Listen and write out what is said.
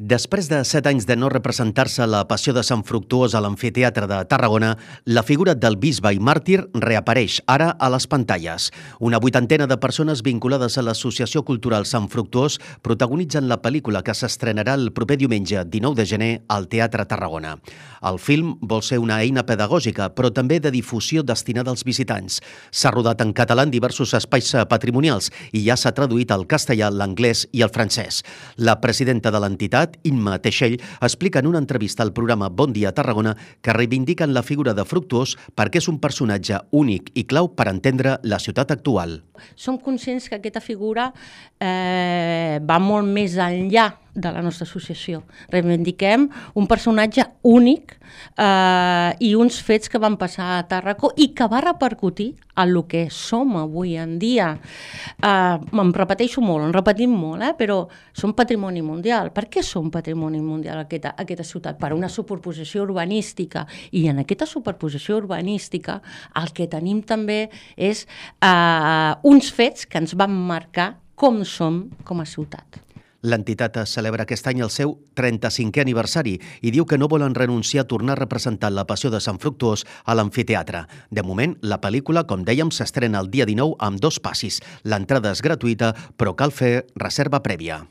Després de 7 anys de no representar-se la Passió de Sant Fructuós a l'Amfiteatre de Tarragona, la figura del bisbe i màrtir reapareix ara a les pantalles. Una vuitantena de persones vinculades a l'Associació Cultural Sant Fructuós protagonitzen la pel·lícula que s'estrenarà el proper diumenge 19 de gener al Teatre Tarragona. El film vol ser una eina pedagògica, però també de difusió destinada als visitants. S'ha rodat en català en diversos espais patrimonials i ja s'ha traduït al castellà, l'anglès i el francès. La presidenta de l'entitat, Imma Teixell, explica en una entrevista al programa Bon Dia Tarragona que reivindiquen la figura de Fructuós perquè és un personatge únic i clau per entendre la ciutat actual. Som conscients que aquesta figura va molt més enllà de la nostra associació. Reivindiquem un personatge únic i uns fets que van passar a Tàrraco i que va repercutir en el que som avui en dia. Em repeteixo molt, en repetim molt, però som patrimoni mundial. Per què som patrimoni mundial aquesta ciutat? Per una superposició urbanística. I en aquesta superposició urbanística el que tenim també és uns fets que ens van marcar com som com a ciutat. L'entitat celebra aquest any el seu 35è aniversari i diu que no volen renunciar a tornar a representar la Passió de Sant Fructuós a l'amfiteatre. De moment, la pel·lícula, com dèiem, s'estrena el dia 19 amb 2 passis. L'entrada és gratuïta, però cal fer reserva prèvia.